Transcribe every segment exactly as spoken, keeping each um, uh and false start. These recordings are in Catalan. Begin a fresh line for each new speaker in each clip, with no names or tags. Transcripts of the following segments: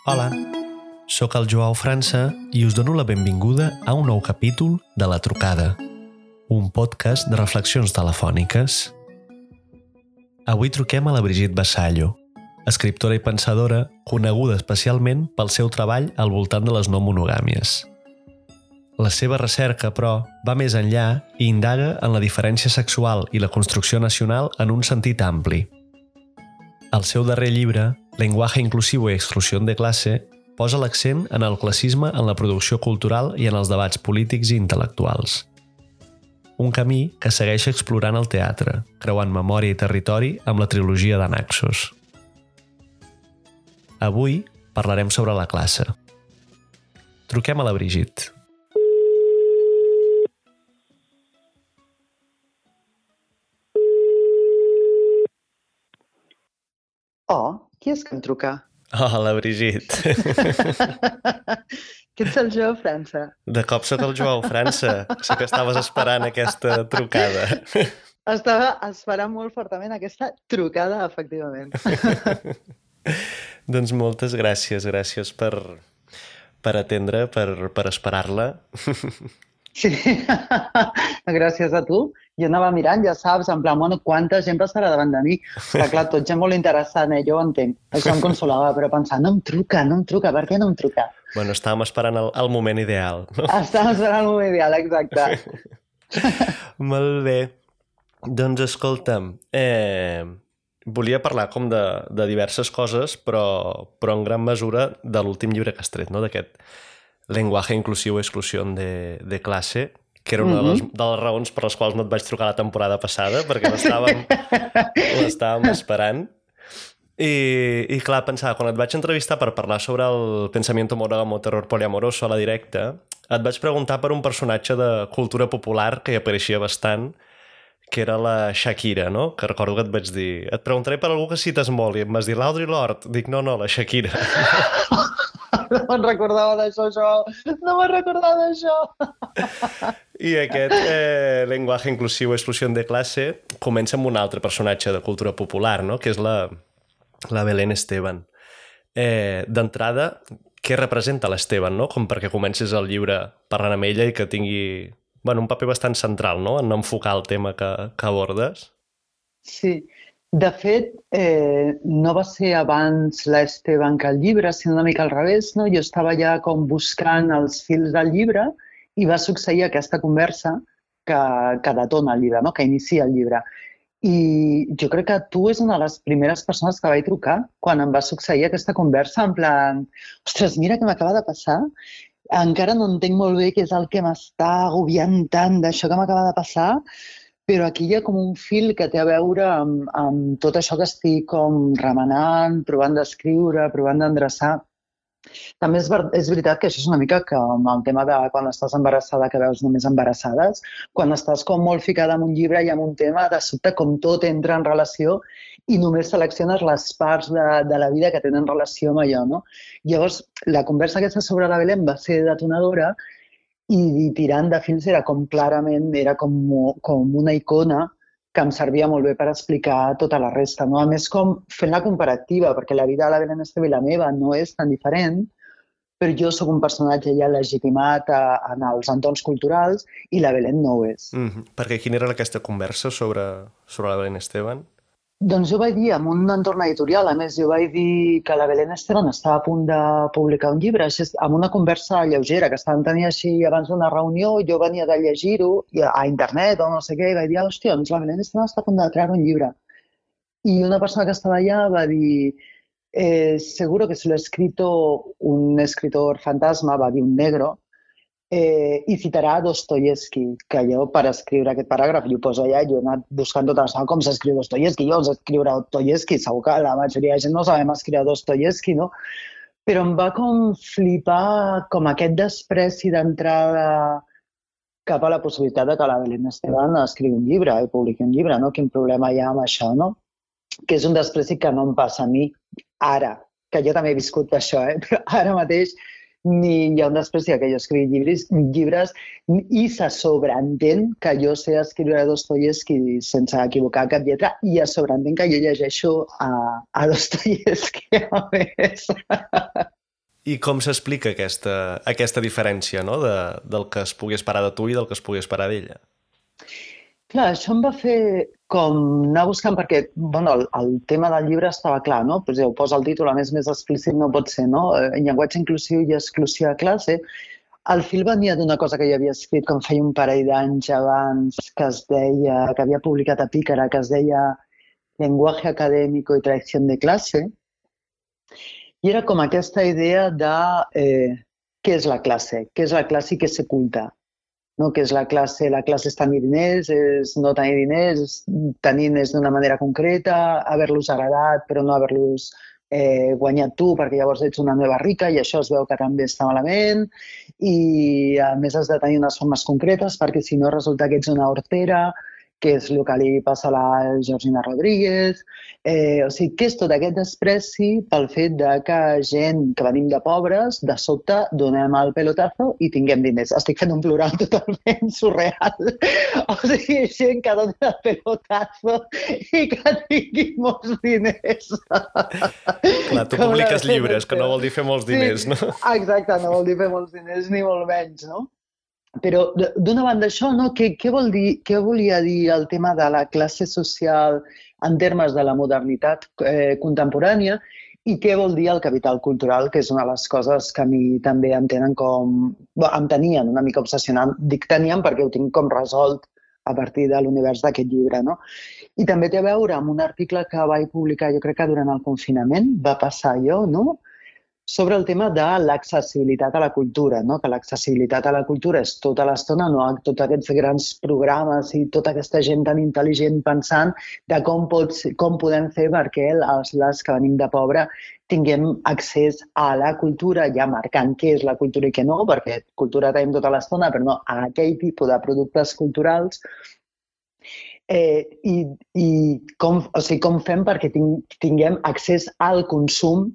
Hola, sóc el Joao França i us dono la benvinguda a un nou capítol de La Trucada, un podcast de reflexions telefòniques. Avui truquem a la Brigitte Vassallo, escriptora i pensadora coneguda especialment pel seu treball al voltant de les no monogàmies. La seva recerca, però, va més enllà i indaga en la diferència sexual i la construcció nacional en un sentit ampli. El seu darrer llibre, Lenguaje inclusivo y exclusión de clase, posa l'accent en el classisme en la producció cultural i en els debats polítics i intel·lectuals. Un camí que segueix explorant el teatre, creuant memòria i territori amb la trilogia de Naxos. Avui parlarem sobre la classe. Truquem a la Brigitte.
Oh, qui és que em truca?
Hola, Brigitte.
Què ets el Joao França?
De cop sóc el Joao França. Sé que estaves esperant aquesta trucada.
Estava esperant molt fortament aquesta trucada, efectivament.
Doncs moltes gràcies, gràcies per, per atendre, per, per esperar-la.
Sí, gràcies a tu. Jo anava mirant, ja saps, en plan, bueno, quanta gent passarà davant de mi. Però clar, tot gent molt interessant, eh? Jo ho entenc. Això em consolava, però pensant, no em truca, no em truca, per què no em truca?
Bueno, estàvem esperant el, el moment ideal, no?
Estàvem esperant el moment ideal, exacte.
Molt bé. Doncs escolta'm, eh, volia parlar com de, de diverses coses, però, però en gran mesura de l'últim llibre que has tret, no? D'aquest Lenguaje inclusivo y exclusión de, de clase, que era una de les, de les raons per les quals no et vaig trucar la temporada passada, perquè l'estàvem l'estàvem esperant. I, I clar, pensava, quan et vaig entrevistar per parlar sobre el pensamiento monógamo terror poliamoroso a la directa, et vaig preguntar per un personatge de cultura popular que hi apareixia bastant, que era la Shakira, no? Que recordo que et vaig dir, et preguntaré per algú que cites molt, i em vas dir l'Audre Lorde. Dic, no, no, la Shakira.
No me'n recordava d'això, Joao. No me'n recordava d'això.
I aquest eh, Lenguaje inclusivo y exclusión de clase comença amb un altre personatge de cultura popular, no? Que és la, la Belén Esteban. Eh, D'entrada, què representa l'Esteban, no? Com perquè comences el llibre parlant amb ella i que tingui, bueno, un paper bastant central, no? En enfocar el tema que, que abordes.
Sí. De fet, eh, no va ser abans l'Esteban que el llibre, sinó una mica al revés, no? Jo estava ja com buscant els fils del llibre i va succeir aquesta conversa que, que detona el llibre, no? Que inicia el llibre. I jo crec que tu és una de les primeres persones que vaig trucar quan em va succeir aquesta conversa, en plan, ostres, mira què m'acaba de passar, encara no entenc molt bé què és el que m'està agobiant tant d'això que m'acaba de passar, però aquí hi ha com un fil que té a veure amb, amb tot això que estic com remenant, provant d'escriure, provant d'endreçar. També és, ver és veritat que això és una mica com el tema de quan estàs embarassada, que veus només embarassades, quan estàs com molt ficada en un llibre i en un tema, de sobte com tot entra en relació i només selecciones les parts de, de la vida que tenen relació amb allò, no? Llavors, la conversa aquesta sobre la Belén va ser detonadora i tirant de fils era com clarament, era com, com una icona que em servia molt bé per explicar tota la resta, no? A més, com fent la comparativa, perquè la vida de la Belén Esteban i la meva no és tan diferent, però jo sóc un personatge ja legitimat a, en els entorns culturals i la Belén no ho és.
Mm-hmm. Perquè quina era aquesta conversa sobre, sobre la Belén Esteban?
Doncs jo vaig dir, en un entorn editorial, a més, jo vaig dir que la Belén Esteban estava a punt de publicar un llibre, així, amb una conversa lleugera, que estàvem tenint així abans d'una reunió, jo venia de llegir-ho a internet o no sé què, i vaig dir, hòstia, doncs la Belén Esteban està a punt de treure un llibre. I una persona que estava allà va dir, eh, seguro que se lo ha escrito un escritor fantasma, va dir un negro, Eh, i citarà Dostoyevsky, que jo per escriure aquest paràgraf, jo poso allà, jo he anat buscant tota la com s'escriu Dostoyevsky, jo sé escriure Dostoyevsky, segur que la majoria de gent no sabem escriure Dostoyevsky, no? Però em va com flipar com aquest despreci d'entrada cap a la possibilitat de que la Belén Esteban escrigui un llibre i publiqui un llibre, no? Quin problema hi ha amb això, no? Que és un despreci que no em passa a mi ara, que jo també he viscut això, eh? Però ara mateix ni hi ha un despreci que jo escrigui llibres, llibres i se sobreentén que jo sé escriure Dostoievski sense equivocar cap lletra i es sobreentén que jo llegeixo a, a Dostoievski a més.
I com s'explica aquesta, aquesta diferència, no? de, del que es pugui esperar de tu i del que es pugui esperar d'ella?
Clar, això em va fer com anar buscant, perquè bueno, el, el tema del llibre estava clar, no? Pues ja ho posa el títol, a més més explícit no pot ser, no? En llenguatge inclusiu i exclusiu a classe. El fil venia d'una cosa que jo havia escrit com feia un parell d'anys abans, que es deia, que havia publicat a Pícara, que es deia Lenguaje académico y traición de clase. I era com aquesta idea de eh, què és la classe, què és la classe i què s'oculta. No? Què és la classe? La classe és tenir diners, és no tenir diners, tenir diners d'una manera concreta, haver-los agradat però no haver-los eh, guanyat tu perquè llavors ets una nova rica i això es veu que també està malament i a més has de tenir unes formes concretes perquè si no resulta que ets una hortera, que és el que li passa a la Georgina Rodríguez. Eh, o sigui, que és tot aquest despreci pel fet de que gent que venim de pobres, de sobte donem el pelotazo i tinguem diners. Estic fent un plural totalment surreal. O sigui, gent que dona el pelotazo i que tingui molts diners.
Clar, tu publiques llibres, que no vol dir fer molts diners,
sí,
no?
Exacte, no vol dir fer molts diners ni molt menys, no? Però, d'una banda, això, no? Què, què, vol dir, què volia dir el tema de la classe social en termes de la modernitat eh, contemporània i què vol dir el capital cultural, que és una de les coses que a mi també em tenen com... Bé, em tenien una mica obsessionant. Dic tenien perquè ho tinc com resolt a partir de l'univers d'aquest llibre, no? I també té a veure amb un article que vaig publicar, jo crec que durant el confinament, va passar jo, no?, sobre el tema de l'accessibilitat a la cultura, no? Que l'accessibilitat a la cultura és tota l'estona, no? Tots aquests grans programes i tota aquesta gent tan intel·ligent pensant de com, pots, com podem fer perquè els, les que venim de pobre tinguem accés a la cultura, ja marcant què és la cultura i què no, perquè cultura tenim tota l'estona, però no a aquell tipus de productes culturals. Eh, i, i com, o sigui, com fem perquè tinguem accés al consum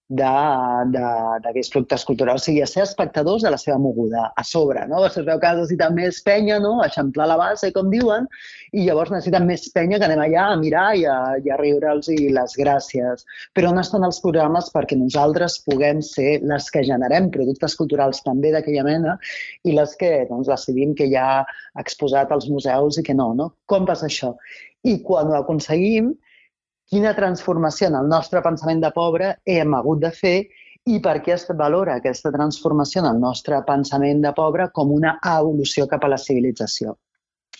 d'aquests productes culturals, o sigui, a ser espectadors de la seva moguda, a sobre, no? Es veu que necessiten més penya, no? Eixamplar la base, com diuen, i llavors necessiten més penya que anem allà a mirar i a, i a riure'ls i les gràcies. Però on estan els programes perquè nosaltres puguem ser les que generem productes culturals també d'aquella mena i les que doncs, decidim que hi ha exposat als museus i que no, no? Com passa això? I quan ho aconseguim, quina transformació en el nostre pensament de pobre hem hagut de fer i per què es valora aquesta transformació en el nostre pensament de pobre com una evolució cap a la civilització.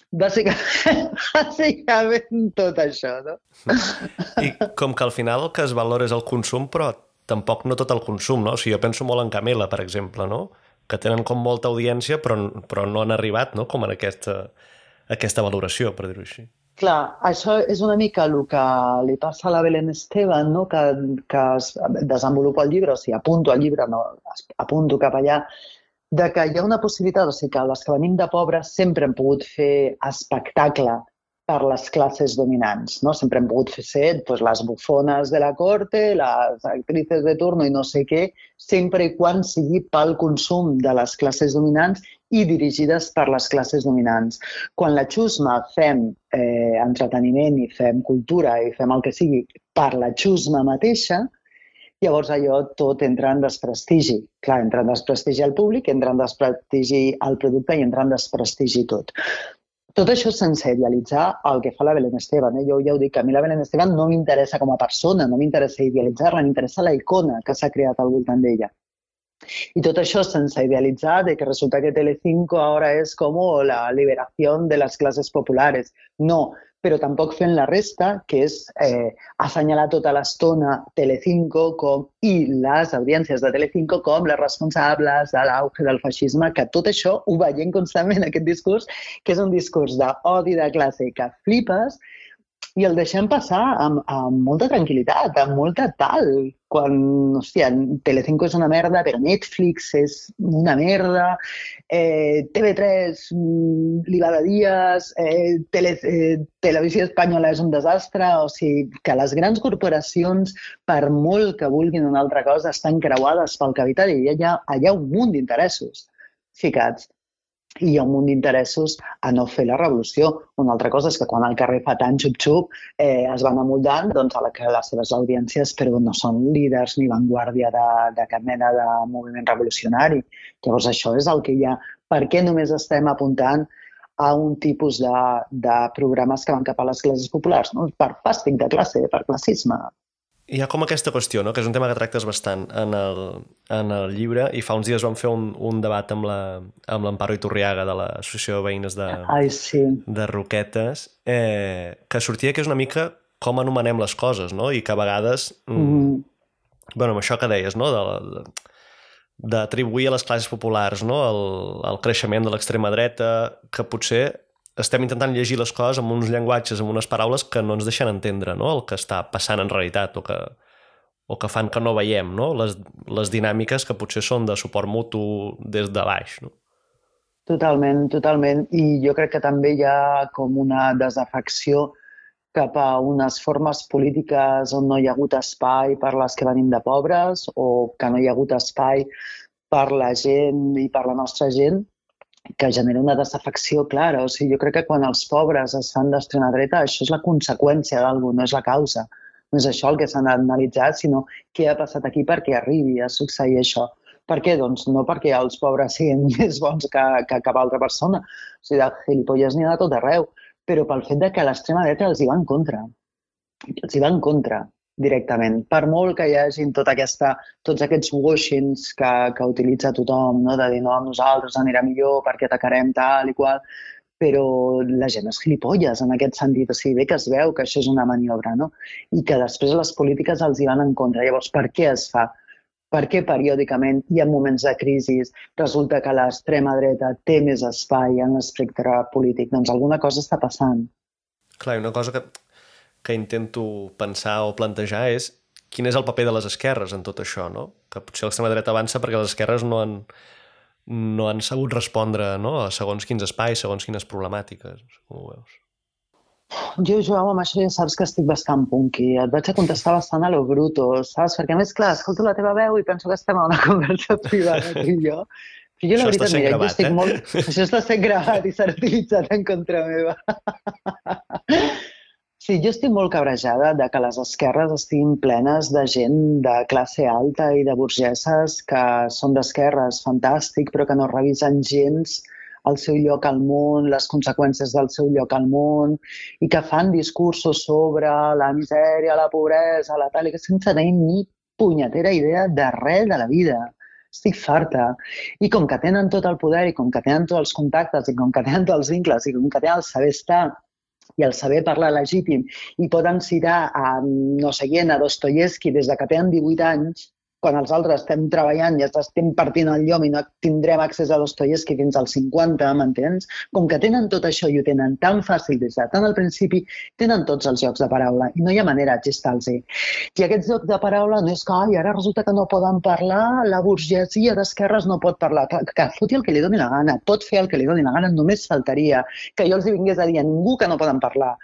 Bàsicament, bàsicament tot això, no?
I com que al final el que es valora és el consum, però tampoc no tot el consum, no? O sigui, jo penso molt en Camela, per exemple, no? Que tenen com molta audiència, però, però no han arribat, no? Com en aquesta, aquesta valoració, per dir-ho així.
Clar, això és una mica el que li passa a la Belén Esteban, no? que, que es desenvolupa el llibre, o sigui, apunto al llibre, no, apunto cap allà, de que hi ha una possibilitat, o sigui, que les que venim de pobres sempre hem pogut fer espectacle per les classes dominants, no? Sempre hem pogut fer ser pues, les bufones de la corte, les actrices de turno i no sé què, sempre i quan sigui pel consum de les classes dominants i dirigides per les classes dominants. Quan la xusma fem eh, entreteniment i fem cultura i fem el que sigui per la xusma mateixa, llavors allò tot entra en desprestigi. Clar, entra en desprestigi al públic, entra en desprestigi al producte i entra en desprestigi tot. Tot això sense idealitzar el que fa la Belén Esteban. Eh? Jo ja ho dic, que a mi la Belén Esteban no m'interessa com a persona, no m'interessa idealitzar-la, m'interessa la icona que s'ha creat al voltant d'ella. Y todo eso sense idealitzar de que resulta que Telecinco ahora es como la liberación de las clases populares. No, però tampoc fent la resta, que és eh, assenyalar tota l'estona Telecinco com, i les audiències de Telecinco com les responsables de l'auge del feixisme, que tot això ho veiem constantment, aquest discurs, que és un discurs d'odi de classe que flipes, i el deixem passar amb, amb molta tranquil·litat, amb molta tal. Quan, hòstia, Telecinco és una merda, però Netflix és una merda, eh, T V tres mm, li va de dies, eh, tele, eh, Televisió Espanyola és un desastre, o sigui, que les grans corporacions, per molt que vulguin una altra cosa, estan creuades pel capital i hi ha, hi ha un munt d'interessos ficats. I hi ha un munt d'interessos a no fer la revolució. Una altra cosa és que quan al carrer fa tant xup-xup eh, es van amoldant doncs, a la que les seves audiències però no són líders ni vanguardia de, de cap mena de moviment revolucionari. Llavors això és el que hi ha. Per què només estem apuntant a un tipus de, de programes que van cap a les classes populars? No? Per fàstic de classe, per classisme.
Hi ha com aquesta qüestió, no? Que és un tema que tractes bastant en el, en el llibre, i fa uns dies vam fer un, un debat amb la, amb l'Amparo Iturriaga de l'Associació de Veïnes de,
Ai, sí.
de Roquetes, eh, que sortia que és una mica com anomenem les coses, no? I que a vegades, mm. bueno, amb això que deies, no? De, d'atribuir a les classes populars, no? el, el creixement de l'extrema dreta, que potser estem intentant llegir les coses amb uns llenguatges, amb unes paraules que no ens deixen entendre, no? El que està passant en realitat o que, o que fan que no veiem, no? Les, les dinàmiques que potser són de suport mutu des de baix. No?
Totalment, totalment. I jo crec que també hi ha com una desafecció cap a unes formes polítiques on no hi ha hagut espai per les que venim de pobres o que no hi ha hagut espai per la gent i per la nostra gent, que genera una desafecció clara. O sigui, jo crec que quan els pobres es fan d'extrema dreta, això és la conseqüència d'alguna, no és la causa. No és això el que s'ha d'analitzar, sinó què ha passat aquí perquè arribi a succeir això. Per què? Doncs no perquè els pobres siguin més bons que, que cap altra persona. O sigui, de gilipolles n'hi ha de tot arreu. Però pel fet de que l'extrema dreta els hi va en contra. Els hi va en contra, directament. Per molt que hi hagi tota aquesta, tots aquests washings que, que utilitza tothom, no? De dir, no, amb nosaltres anirà millor perquè atacarem tal i qual, però la gent és gilipolles en aquest sentit. O sigui, bé que es veu que això és una maniobra, no? I que després les polítiques els hi van en contra. Llavors, per què es fa? Per què periòdicament i en moments de crisi resulta que l'extrema dreta té més espai en l'espectre polític? Doncs alguna cosa està passant.
Clar, una cosa que... que intento pensar o plantejar és quin és el paper de les esquerres en tot això, no? Que potser l'extrema dreta avança perquè les esquerres no han, no han sabut respondre, no? A segons quins espais, segons quines problemàtiques. Com ho veus?
Jo, Joao, amb això ja saps que estic bastant punky. Et vaig a contestar bastant a lo bruto, saps? Perquè, a més, clar, escolto la teva veu i penso que estem a una conversa privada, tu i jo. Però jo, la veritat, mira,
gravat,
jo estic
eh?
molt... Això està sent gravat i serà utilitzat en contra meva. Sí, jo estic molt cabrejada de que les esquerres estiguin plenes de gent de classe alta i de burgeses que són d'esquerres, fantàstic, però que no revisen gens el seu lloc al món, les conseqüències del seu lloc al món, i que fan discursos sobre la misèria, la pobresa, la tal, i que sense tenir ni punyetera idea de res de la vida. Estic farta. I com que tenen tot el poder, i com que tenen tots els contactes, i com que tenen tots els vincles, i com que tenen el saber estar, i el saber parlar legítim, i poden citar a no sé qui, a Dostoyevsky des de que tenen divuit anys, quan els altres estem treballant i estem partint el llom i no tindrem accés a Dostoyevsky fins als cinquanta, m'entens? Com que tenen tot això i ho tenen tan fàcil des de tant al principi, tenen tots els jocs de paraula i no hi ha manera de xistar-los. I aquests jocs de paraula no és que ai, ara resulta que no poden parlar, la burgesia d'esquerres no pot parlar. Que, que foti el que li doni la gana, pot fer el que li doni la gana, només faltaria que jo els vingués a dir a ningú que no poden parlar.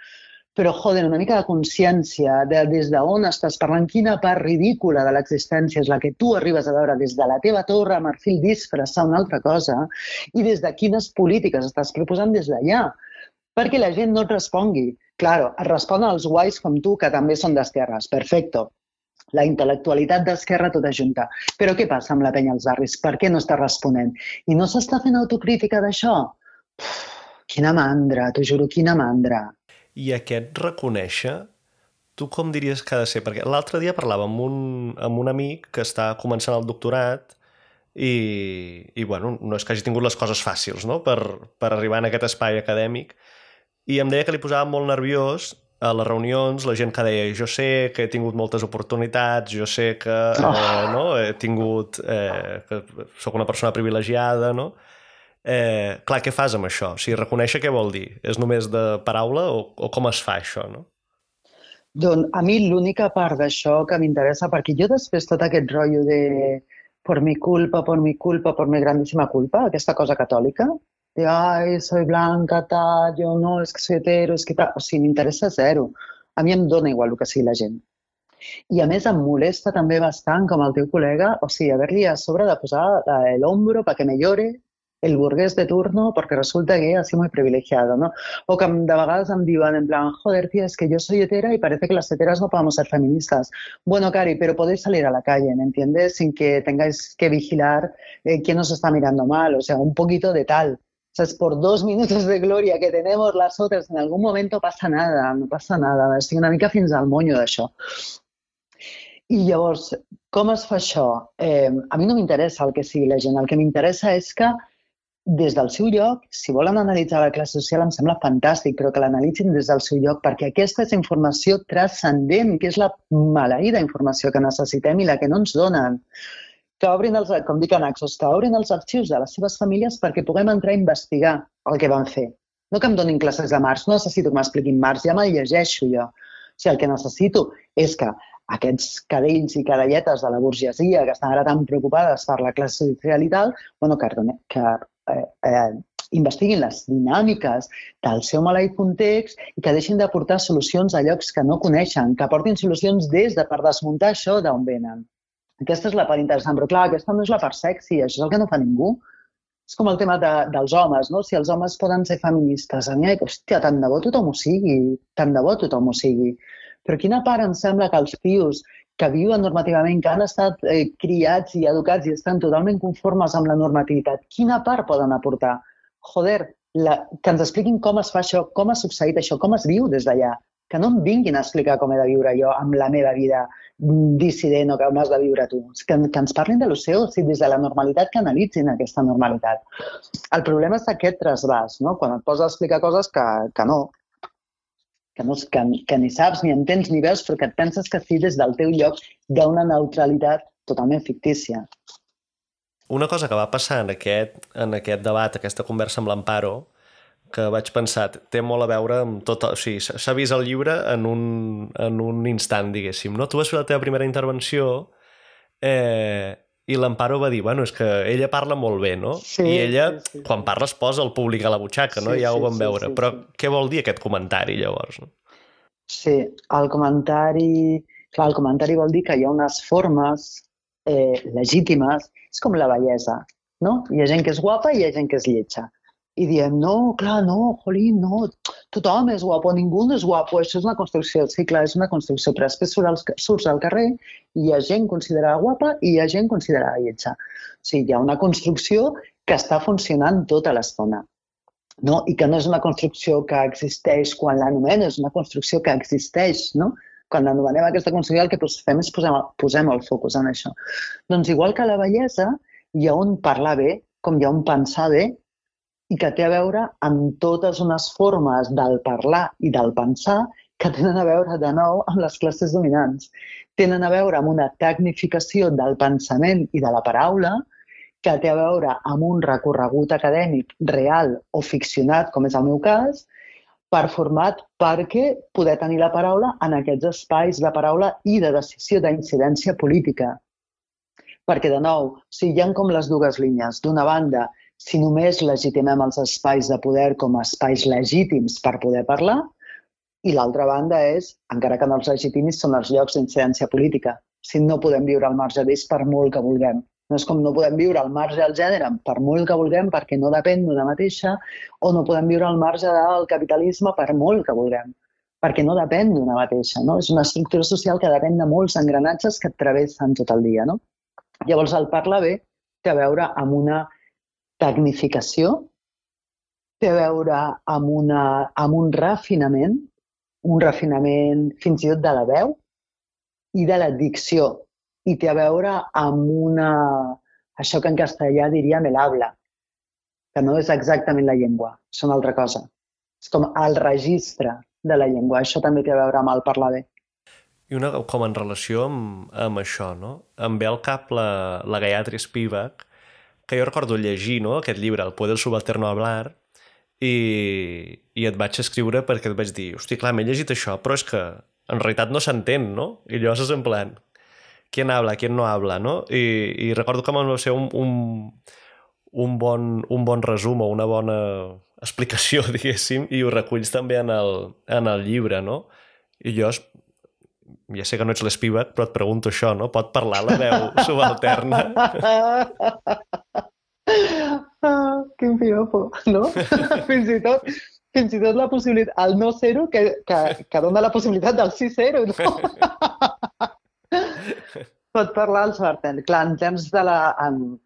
Però, joder, una mica de consciència de des d'on estàs parlant, quina part ridícula de l'existència és la que tu arribes a veure des de la teva torre, marfil, disfressar una altra cosa, i des de quines polítiques estàs proposant des d'allà. Perquè la gent no et respongui. Claro, et responen els guais com tu, que també són d'esquerres. Perfecto. La intel·lectualitat d'esquerra tota junta. Però què passa amb la penya als barris? Per què no està responent? I no s'està fent autocrítica d'això? Uf, quina mandra, t'ho juro, quina mandra.
I aquest reconèixer, tu com diries que ha de ser? Perquè l'altre dia parlava amb un, amb un amic que està començant el doctorat i, i bueno, no és que hagi tingut les coses fàcils, no? per, per arribar en aquest espai acadèmic, i em deia que li posava molt nerviós a les reunions la gent que deia jo sé que he tingut moltes oportunitats, jo sé que eh, no? he tingut, eh, que soc una persona privilegiada, no? Eh, clar, què fas amb això? O sigui, reconèixer què vol dir? És només de paraula o, o com es fa això, no?
Doncs a mi l'única part d'això que m'interessa, perquè jo després tot aquest rotllo de por mi culpa, por mi culpa, por mi grandíssima culpa, aquesta cosa catòlica, de ai, soy blanca, tal, jo no, és que soy hetero, és que tal, o sigui, m'interessa zero. A mi em dona igual el que sigui la gent. I a més em molesta també bastant, com el teu col·lega, o sigui, haver-li a sobre de posar el hombro para que me llore el burgués de turno porque resulta que así muy privilegiado, ¿no? O que de vegades em diuen en plan, joder, tía, es que yo soy hetera y parece que las heteras no podemos ser feministas. Bueno, Cari, pero podéis salir a la calle, ¿me entiendes? Sin que tengáis que vigilar eh, quién os está mirando mal, o sea, un poquito de tal. O sea, es por dos minutos de gloria que tenemos las otras, en algún momento pasa nada, no passa nada. Estic una mica fins al monyo d'això. I llavors, com es fa això? Eh, a mi no m'interessa el que sigui la gent, el que m'interessa és que des del seu lloc, si volen analitzar la classe social em sembla fantàstic, però que l'analitzin des del seu lloc, perquè aquesta és informació transcendent, que és la maleïda informació que necessitem i la que no ens donen. Que obrin els, com dic a Naxos, que obrin els arxius de les seves famílies perquè puguem entrar a investigar el que van fer. No que em donin classes de Marx, no necessito que m'expliquin Marx, ja me'l llegeixo jo. O sigui, el que necessito és que aquests cadells i cadelletes de la burgesia que estan ara tan preocupades per la classe social i tal, bueno, que, que eh, eh, investiguin les dinàmiques del seu maleït context i que deixin d'aportar solucions a llocs que no coneixen, que aportin solucions des de per desmuntar això d'on venen. Aquesta és la part interessant, però clar, aquesta no és la part sexy, això és el que no fa ningú. És com el tema de, dels homes, no? Si els homes poden ser feministes, a mi, hòstia, tant de bo tothom ho sigui, tant de bo tothom ho sigui. Però quina part em sembla que els tios que viuen normativament, que han estat eh, criats i educats i estan totalment conformes amb la normativitat, quina part poden aportar? Joder, la, que ens expliquin com es fa això, com ha succeït això, com es viu des d'allà. Que no em vinguin a explicar com he de viure jo amb la meva vida dissident o com has de viure tu. Que, que ens parlin de lo seu, o sigui, des de la normalitat, que analitzin aquesta normalitat. El problema és aquest trasbàs, no? Quan et poses a explicar coses que, que no, que, no que, que ni saps, ni entens, ni veus, però que et penses que sí des del teu lloc d'una neutralitat totalment fictícia.
Una cosa que va passar en aquest, en aquest debat, aquesta conversa amb l'Amparo, que vaig pensar, té molt a veure amb tot... O sigui, s'ha vist el llibre en un, en un instant, diguéssim, no? Tu vas fer la teva primera intervenció eh, i l'Amparo va dir, bueno, és que ella parla molt bé, no?
Sí,
I ella,
sí, sí,
quan parla, es posa el públic a la butxaca, no?
Sí,
Ja ho
sí,
vam
sí,
veure.
sí,
Però
sí.
què vol dir aquest comentari, llavors? No?
Sí, el comentari... Clar, el comentari vol dir que hi ha unes formes eh, legítimes, és com la bellesa, no? Hi ha gent que és guapa i hi ha gent que és lletja. I diem, no, clar, no, jolín, no, tothom és guapo, ningú no és guapo, això és una construcció. Sí, clar, és una construcció, però després surts al carrer i hi ha gent considerada guapa i hi ha gent considerada lletja. O sigui, hi ha una construcció que està funcionant tota l'estona. No? I que no és una construcció que existeix quan l'anomenes, és una construcció que existeix, no? Quan anomenem aquesta construcció el que fem és posem, posem el focus en això. Doncs igual que la bellesa, hi ha un parlar bé, com hi ha un pensar bé, i que té a veure amb totes unes formes del parlar i del pensar que tenen a veure, de nou, amb les classes dominants. Tenen a veure amb una tecnificació del pensament i de la paraula que té a veure amb un recorregut acadèmic real o ficcionat, com és el meu cas, per format perquè poder tenir la paraula en aquests espais de paraula i de decisió d'incidència política. Perquè, de nou, o sigui, hi ha com les dues línies. D'una banda, si només legitimem els espais de poder com a espais legítims per poder parlar, i l'altra banda és, encara que no els legitimis, són els llocs d'incidència política. Si no podem viure al marge d'ells per molt que vulguem. No és com no podem viure al marge del gènere per molt que vulguem perquè no depèn d'una mateixa, o no podem viure al marge del capitalisme per molt que vulguem, perquè no depèn d'una mateixa. No? És una estructura social que depèn de molts engranatges que et travessen tot el dia. No? Llavors, el parlar bé té a veure amb una tecnificació, té a veure amb, una, amb un refinament, un refinament fins i tot de la veu i de la dicció, i té a veure amb una, això que en castellà diríem el habla, que no és exactament la llengua, és una altra cosa. És com el registre de la llengua, això també té a veure amb el parlar bé.
I una, com en relació amb, amb això, no? Em ve al cap la, la Gayatri Spivak, que jo recordo llegir, no?, aquest llibre, El poder subalterno hablar, i, i et vaig escriure perquè et vaig dir, hosti, clar, m'he llegit això, però és que en realitat no s'entén, no? I llavors és en plan, ¿quién habla, quién no habla, no? I, i recordo que va ser un, un, un, bon, un bon resum o una bona explicació, diguéssim, i ho reculls també en el, en el llibre, no? I jo, ja sé que no ets l'Spivak, però et pregunto això, no? Pot parlar la veu subalterna?
Ah, quin piropo, no? fins i tot, fins i tot la possibilitat, el no ser-ho, que, que, que dona la possibilitat del sí ser-ho, no? Pot parlar el subaltern. Clar, en termes de la... En,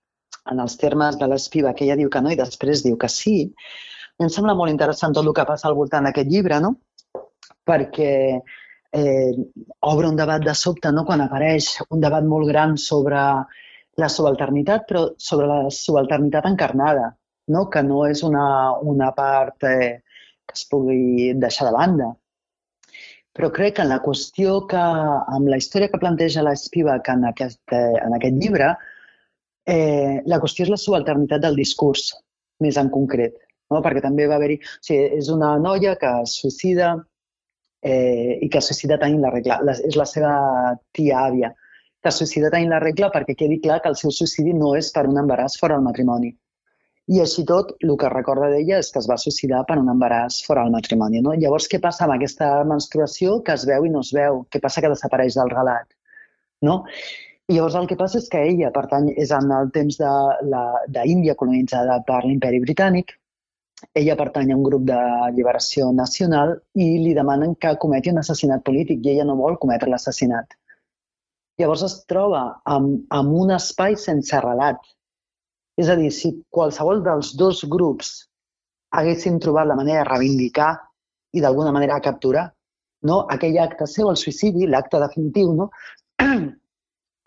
en els termes de l'Spivak, que ella diu que no i després diu que sí, em sembla molt interessant tot el que passa al voltant d'aquest llibre, no? Perquè eh, obre un debat de sobte, no?, quan apareix un debat molt gran sobre la subalternitat, però sobre la subalternitat encarnada, no?, que no és una, una part eh, que es pugui deixar de banda. Però crec que en la qüestió que, amb la història que planteja l'Spivak en, aquest, eh, en aquest llibre, eh, la qüestió és la subalternitat del discurs, més en concret, no? Perquè també va haver-hi... O sigui, és una noia que es suïcida eh, i que es suïcida tenint la regla. La, és la seva tia-àvia, que es suïcida tenint la regla perquè quedi clar que el seu suïcidi no és per un embaràs fora del matrimoni. I així tot, el que recorda d'ella és que es va suïcidar per un embaràs fora del matrimoni, no? Llavors, què passa amb aquesta menstruació que es veu i no es veu? Què passa que desapareix del relat, no? I llavors el que passa és que ella pertany, és en el temps d'Índia colonitzada per l'Imperi Britànic, ella pertany a un grup de lliberació nacional i li demanen que cometi un assassinat polític i ella no vol cometre l'assassinat. Llavors es troba amb, amb un espai sense relat. És a dir, si qualsevol dels dos grups haguessin trobat la manera de reivindicar i d'alguna manera capturar, no, aquell acte seu, el suïcidi, l'acte definitiu, no,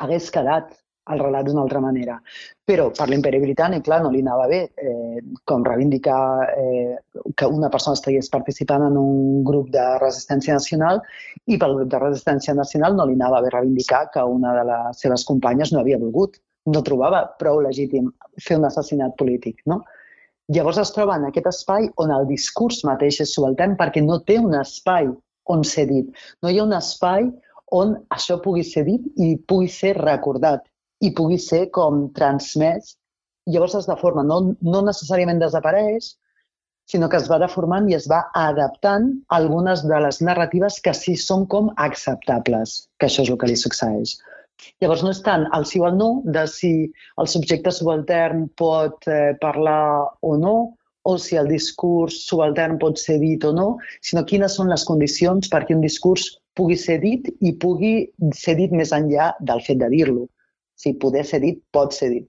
hagués quedat el relat d'una altra manera. Però per l'Imperi Britànic, clar, no li anava bé eh, com reivindicar eh, que una persona estigués participant en un grup de resistència nacional i pel grup de resistència nacional no li anava bé reivindicar que una de les seves companyes no havia volgut, no trobava prou legítim fer un assassinat polític, no? Llavors es troba en aquest espai on el discurs mateix és subaltern perquè no té un espai on ser dit. No hi ha un espai on això pugui ser dit i pugui ser recordat i pugui ser com transmès. Llavors es deforma, no, no necessàriament desapareix, sinó que es va deformant i es va adaptant a algunes de les narratives que sí són com acceptables, que això és el que li succeeix. Llavors no és tant el sí o el no de si el subjecte subaltern pot eh, parlar o no, o si el discurs subaltern pot ser dit o no, sinó quines són les condicions perquè un discurs pugui ser dit i pugui ser dit més enllà del fet de dir-lo. Si poder ser dit, pot ser dit.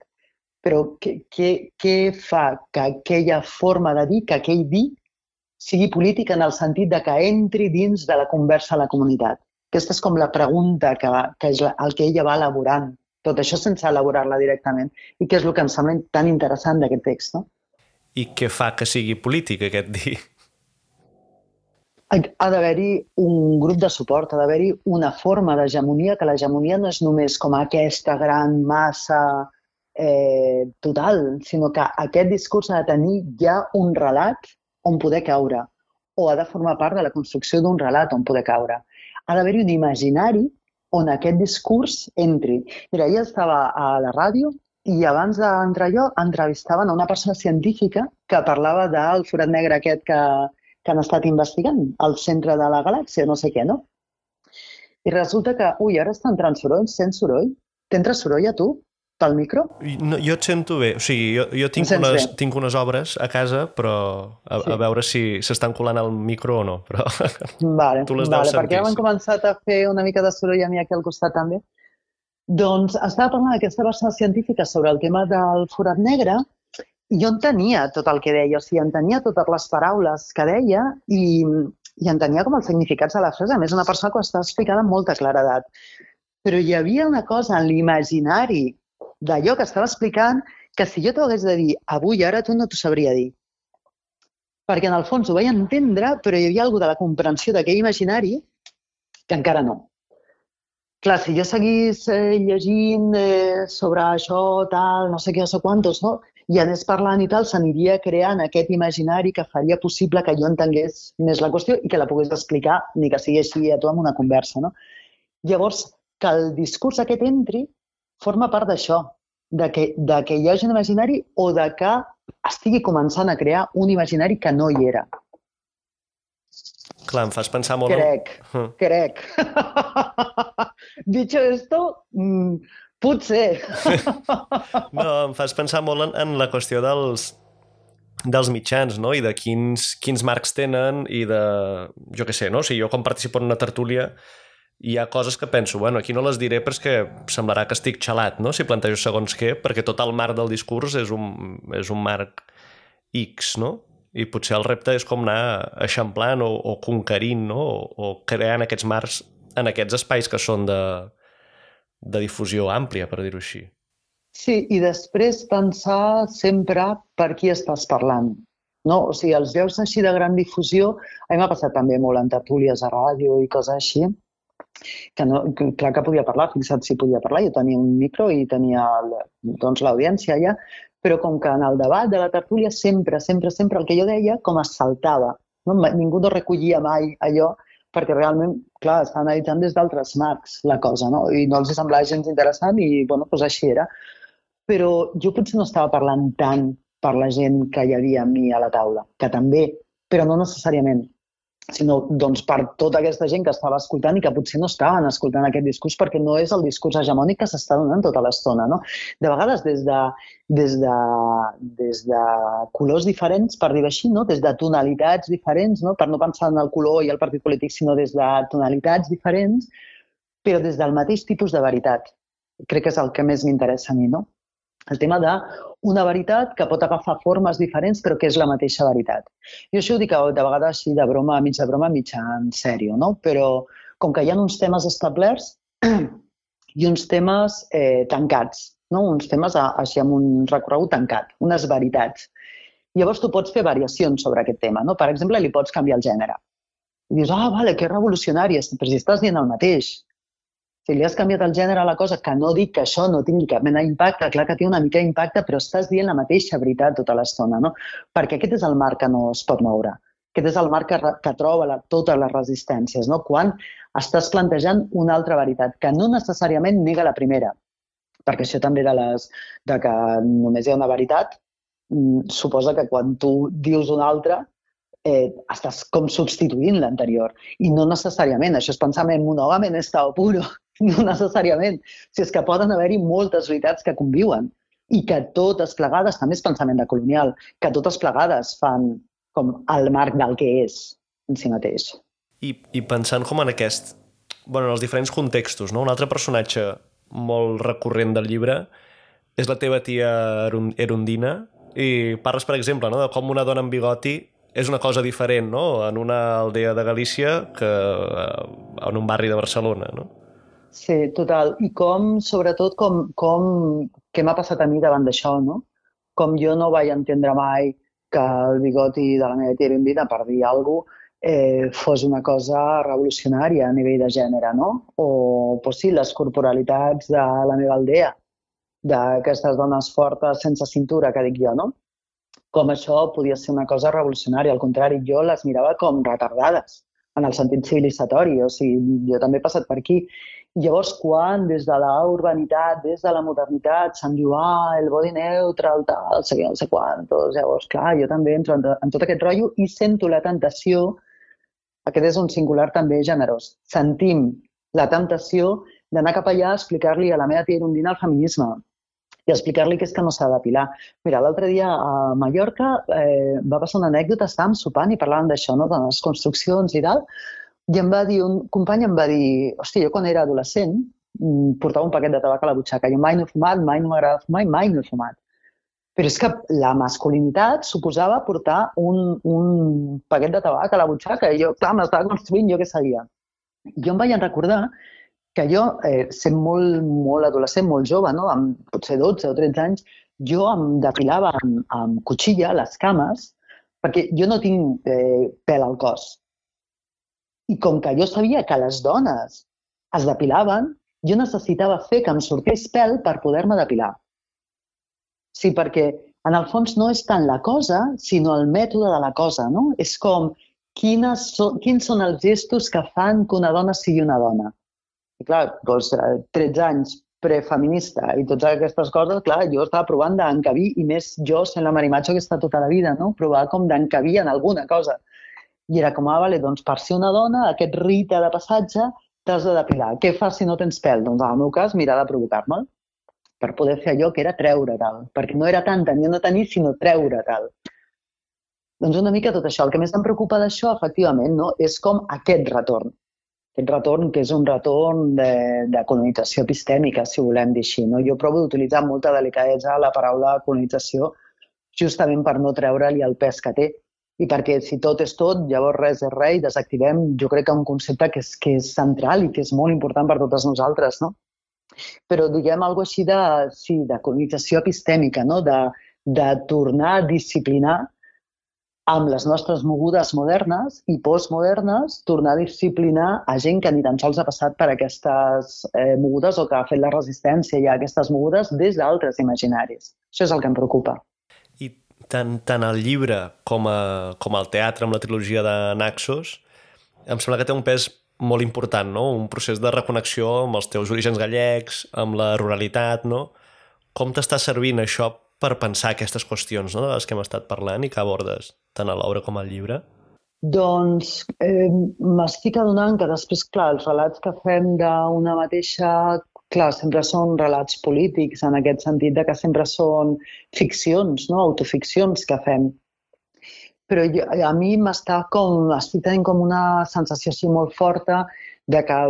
Però què, què, què fa que aquella forma de dir, que aquell dir, sigui política en el sentit de que entri dins de la conversa a la comunitat? Aquesta és com la pregunta que, que és el que ella va elaborant. Tot això sense elaborar-la directament. I que és el que em sembla tan interessant d'aquest text, no?
I què fa que sigui polític, aquest dir?
Ha d'haver-hi un grup de suport, ha d'haver-hi una forma d'hegemonia, que l'hegemonia no és només com aquesta gran massa eh, total, sinó que aquest discurs ha de tenir ja un relat on poder caure, o ha de formar part de la construcció d'un relat on poder caure. Ha d'haver-hi un imaginari on aquest discurs entri. Mira, ella estava a la ràdio i abans d'entrar jo entrevistaven a una persona científica que parlava del forat negre aquest que, que han estat investigant al centre de la galàxia, no sé què, no? I resulta que, ui, ara està entrant soroll, sents soroll? T'entra soroll a tu, pel micro?
No, jo et sento bé, o sigui, jo, jo tinc, unes, tinc unes obres a casa, però a, sí. a veure si s'estan colant al micro o no, però
vale,
tu les
vale,
deus sentir.
Perquè hem començat a fer una mica de soroll a mi aquí al costat també. Doncs estava parlant d'aquesta persona científica sobre el tema del forat negre i jo entenia tot el que deia, o sigui, entenia totes les paraules que deia i, i entenia com els significats de la frase. A més, una persona que ho estava explicant amb molta claredat. Però hi havia una cosa en l'imaginari d'allò que estava explicant que si jo t'ho hagués de dir avui, ara, tu no t'ho sabria dir. Perquè en el fons ho vaig entendre, però hi havia alguna de la comprensió d'aquell imaginari que encara no. Clar, si jo seguís eh, llegint eh, sobre això, tal, no sé què, no sé quantos, no? i anés parlant i tal, s'aniria creant aquest imaginari que faria possible que jo entengués més la qüestió i que la pogués explicar, ni que sigui així a tu amb una conversa, no? Llavors, que el discurs aquest entri forma part d'això, de que, de que hi hagi un imaginari o de que estigui començant a crear un imaginari que no hi era.
Clar, em fas pensar molt...
Crec,
en...
crec. Dicho esto, mmm, potser.
No, em fas pensar molt en, en la qüestió dels, dels mitjans, no? I de quins, quins marcs tenen i de... Jo què sé, no? O sigui, jo quan participo en una tertúlia hi ha coses que penso, bueno, aquí no les diré però és que semblarà que estic xalat, no? Si plantejo segons què, perquè tot el marc del discurs és un, és un marc X, no? I potser el repte és com anar eixamplant o, o conquerint, no? O, o creant aquests marcs en aquests espais que són de, de difusió àmplia, per dir-ho així.
Sí, i després pensar sempre per qui estàs parlant. No? O sigui, els llocs així de gran difusió, a mi m'ha passat també molt en tertúlies a ràdio i coses així, que, no, que clar que podia parlar, fixa't si podia parlar, jo tenia un micro i tenia doncs, l'audiència allà, però com que en el debat de la tertúlia sempre, sempre, sempre el que jo deia com es saltava. No? Ningú no recollia mai allò perquè realment, clar, està analitzant des d'altres marcs la cosa, no? I no els semblava gens interessant i, bueno, doncs així era. Però jo potser no estava parlant tant per la gent que hi havia amb mi a la taula, que també, però no necessàriament, sinó doncs, per tota aquesta gent que estava escoltant i que potser no estaven escoltant aquest discurs perquè no és el discurs hegemònic que s'està donant tota l'estona. No? De vegades des de, des, de, des de colors diferents, per dir-ho així, no? Des de tonalitats diferents, no? Per no pensar en el color i el partit polític, sinó des de tonalitats diferents, però des del mateix tipus de veritat. Crec que és el que més m'interessa a mi, no? El tema d'una veritat que pot agafar formes diferents però que és la mateixa veritat. Jo això ho dic de vegades així de broma, mig de broma, mig en sèrio, no? Però com que hi ha uns temes establerts i uns temes eh, tancats, no? Uns temes així amb un recorregut tancat, unes veritats. Llavors tu pots fer variacions sobre aquest tema, no? Per exemple, li pots canviar el gènere. I dius, ah, vale, que revolucionari, però si estàs dient el mateix. Si li has canviat el gènere a la cosa, que no dic que això no tingui cap mena d'impacte, clar que té una mica d'impacte, però estàs dient la mateixa veritat tota l'estona, no? Perquè aquest és el marc que no es pot moure. Aquest és el marc que, que troba la, totes les resistències, no? Quan estàs plantejant una altra veritat, que no necessàriament nega la primera, perquè això també de, les, de que només hi ha una veritat, suposa que quan tu dius una altra, eh, estàs com substituint l'anterior. I no necessàriament, això és pensament monògam en estado puro. No necessàriament. Si és que poden haver-hi moltes veritats que conviuen i que totes plegades, també és pensament de colonial, que totes plegades fan com el marc del que és en si mateix.
I, i pensant com en aquest, bueno, en els diferents contextos, no? Un altre personatge molt recurrent del llibre és la teva tia Erundina i parles, per exemple, no? De com una dona amb bigoti és una cosa diferent, no? En una aldea de Galícia que en un barri de Barcelona, no?
Sí, total. I com, sobretot, com, com què m'ha passat a mi davant d'això, no? Com jo no vaig entendre mai que el bigoti de la meva tia Erundina, per dir alguna cosa, eh, fos una cosa revolucionària a nivell de gènere, no? O, pues sí, les corporalitats de la meva aldea, d'aquestes dones fortes sense cintura, que dic jo, no? Com això podia ser una cosa revolucionària. Al contrari, jo les mirava com retardades, en el sentit civilitzatori. O sigui, jo també he passat per aquí. Llavors, quan des de la urbanitat, des de la modernitat, se'n diu, ah, el body neutral, tal, sé què, no sé quantos, llavors, clar, jo també entro en, en tot aquest rotllo i sento la tentació, aquest és un singular també generós, sentim la tentació d'anar cap allà a explicar-li a la meva tia Erundina el feminisme i explicar-li que és que no s'ha de depilar. Mira, l'altre dia a Mallorca eh, va passar una anècdota, estàvem sopant i parlàvem d'això, no? De les construccions i tal, i em va dir, un company em va dir, hòstia, jo quan era adolescent portava un paquet de tabac a la butxaca. Jo mai no he fumat, mai no m'agrada fumar i mai no he fumat. Però és que la masculinitat suposava portar un, un paquet de tabac a la butxaca i jo, clar, m'estava construint jo què sabia. Jo em vaig recordar que jo, eh, sent molt, molt adolescent, molt jove, no? Amb potser dotze o tretze anys, jo em depilava amb, amb cuchilla les cames perquè jo no tinc eh, pèl al cos. I com que jo sabia que les dones es depilaven, jo necessitava fer que em sortís pèl per poder-me depilar. Sí, perquè en el fons no és tant la cosa, sinó el mètode de la cosa, no? És com quines són, quins són els gestos que fan que una dona sigui una dona. I clar, doncs, tretze anys prefeminista i totes aquestes coses, clar, jo estava provant d'encabir, i més jo sent la Marimacho que està tota la vida, no? Provar com d'encabir en alguna cosa. I era com, ah, vale, doncs per ser una dona, aquest rite de passatge t'has de depilar. Què fas si no tens pèl? Doncs en el meu cas, mirar de provocar-me'l per poder fer allò que era treure tal. Perquè no era tant tenir o no tenir, sinó treure tal. Doncs una mica tot això. El que més em preocupa d'això, efectivament, no? És com aquest retorn. Aquest retorn que és un retorn de, de colonització epistèmica, si volem dir així. No? Jo provo d'utilitzar amb molta delicadesa la paraula colonització justament per no treure-li el pes que té. I perquè si tot és tot, llavors res és res i desactivem, jo crec que un concepte que és, que és central i que és molt important per totes nosaltres, no? Però diguem alguna cosa així de, sí, de colonització epistèmica, no? De, de tornar a disciplinar amb les nostres mogudes modernes i postmodernes, tornar a disciplinar a gent que ni tan sols ha passat per aquestes eh, mogudes o que ha fet la resistència ja a aquestes mogudes des d'altres imaginaris. Això és el que em preocupa.
I tant, tant el llibre com, a, com el teatre amb la trilogia de Naxos em sembla que té un pes molt important, no? Un procés de reconnexió amb els teus orígens gallecs, amb la ruralitat, no? Com t'està servint això per pensar aquestes qüestions, no? De les que hem estat parlant i que abordes tant a l'obra com al llibre?
Doncs eh, m'estic adonant que després, clar, els relats que fem d'una mateixa... Clar, sempre són relats polítics, en aquest sentit de que sempre són ficcions, no? Autoficcions que fem. Però jo, a mi m'està com, estic tenint com una sensació així molt forta de que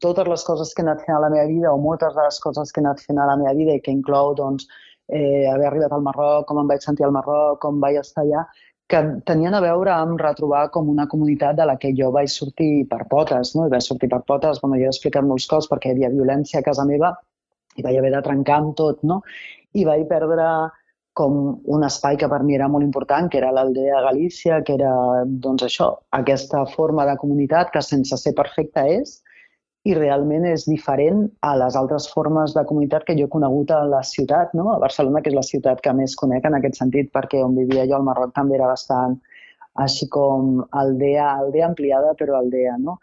totes les coses que he anat fent a la meva vida, o moltes de les coses que he anat fent a la meva vida i que inclou doncs, eh, haver arribat al Marroc, com em vaig sentir al Marroc, com vaig estar allà, que tenien a veure amb retrobar com una comunitat de la que jo vaig sortir per potes, no? I vaig sortir per potes, bueno, jo he explicat molts cops perquè hi havia violència a casa meva i vaig haver de trencar amb tot, no? I vaig perdre com un espai que per mi era molt important, que era l'Aldea Galícia, que era, doncs això, aquesta forma de comunitat que sense ser perfecta és, i realment és diferent a les altres formes de comunitat que jo he conegut a la ciutat, no? A Barcelona, que és la ciutat que més conec en aquest sentit, perquè on vivia jo al Marroc també era bastant així com aldea, aldea ampliada, però aldea, no?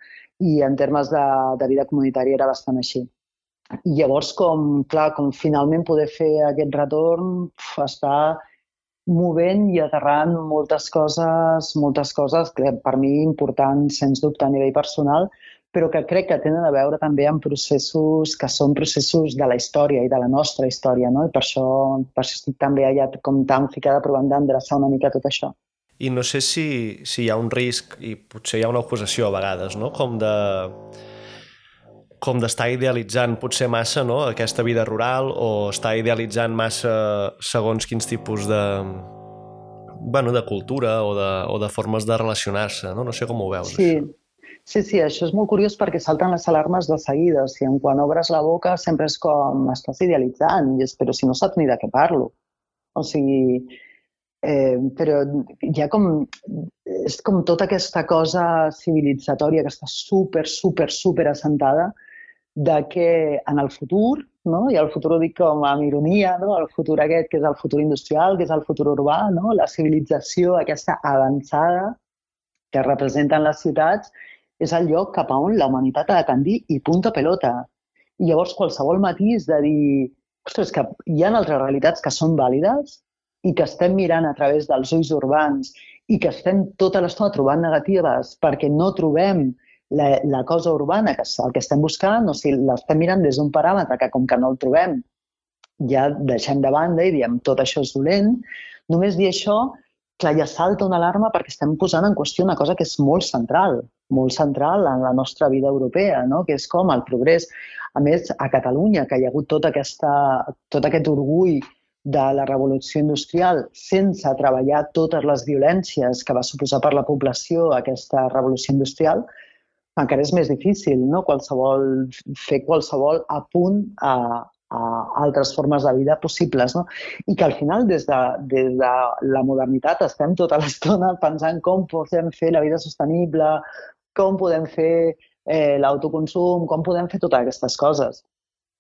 I en termes de, de vida comunitària era bastant així. I llavors, com, clar, com finalment poder fer aquest retorn, està movent i aterrant moltes coses, moltes coses que per mi importants, sens dubte, a nivell personal, però que crec que tenen a veure també amb processos que són processos de la història i de la nostra història, no? I per això, per això estic també allà com tan ficada provant d'endreçar una mica tot això.
I no sé si, si hi ha un risc, i potser hi ha una acusació a vegades, no? Com de com d'estar idealitzant potser massa, no? Aquesta vida rural, o estar idealitzant massa segons quins tipus de, bueno, de cultura o de, o de formes de relacionar-se, no? No sé com ho veus,
sí.
això.
Sí, sí, això és molt curiós perquè salten les alarmes de seguida. O sigui, quan obres la boca sempre és com estàs idealitzant, però si no saps ni de què parlo. O sigui, eh, però hi ha com, és com tota aquesta cosa civilitzatòria que està super, super, super assentada de que en el futur, no? I el futur ho dic com amb ironia, no? El futur aquest que és el futur industrial, que és el futur urbà, no? La civilització aquesta avançada que representen les ciutats, és el lloc cap a on la humanitat ha de tendir i punta pelota. I llavors qualsevol matís de dir, ostres, que hi ha altres realitats que són vàlides i que estem mirant a través dels ulls urbans i que estem tota l'estona trobant negatives perquè no trobem la, la cosa urbana, que és el que estem buscant, o sigui, l'estem mirant des d'un paràmetre que com que no el trobem ja deixem de banda i diem tot això és dolent. Només dir això, clar, ja salta una alarma perquè estem posant en qüestió una cosa que és molt central, molt central en la nostra vida europea, no? Que és com el progrés. A més, a Catalunya, que hi ha hagut tota aquesta, tot aquest orgull de la revolució industrial sense treballar totes les violències que va suposar per la població aquesta revolució industrial, encara és més difícil, no? Qualsevol, fer qualsevol apunt a, a altres formes de vida possibles, no? I que al final, des de, des de la modernitat, estem tota l'estona pensant com podem fer la vida sostenible, com podem fer eh, l'autoconsum, com podem fer totes aquestes coses.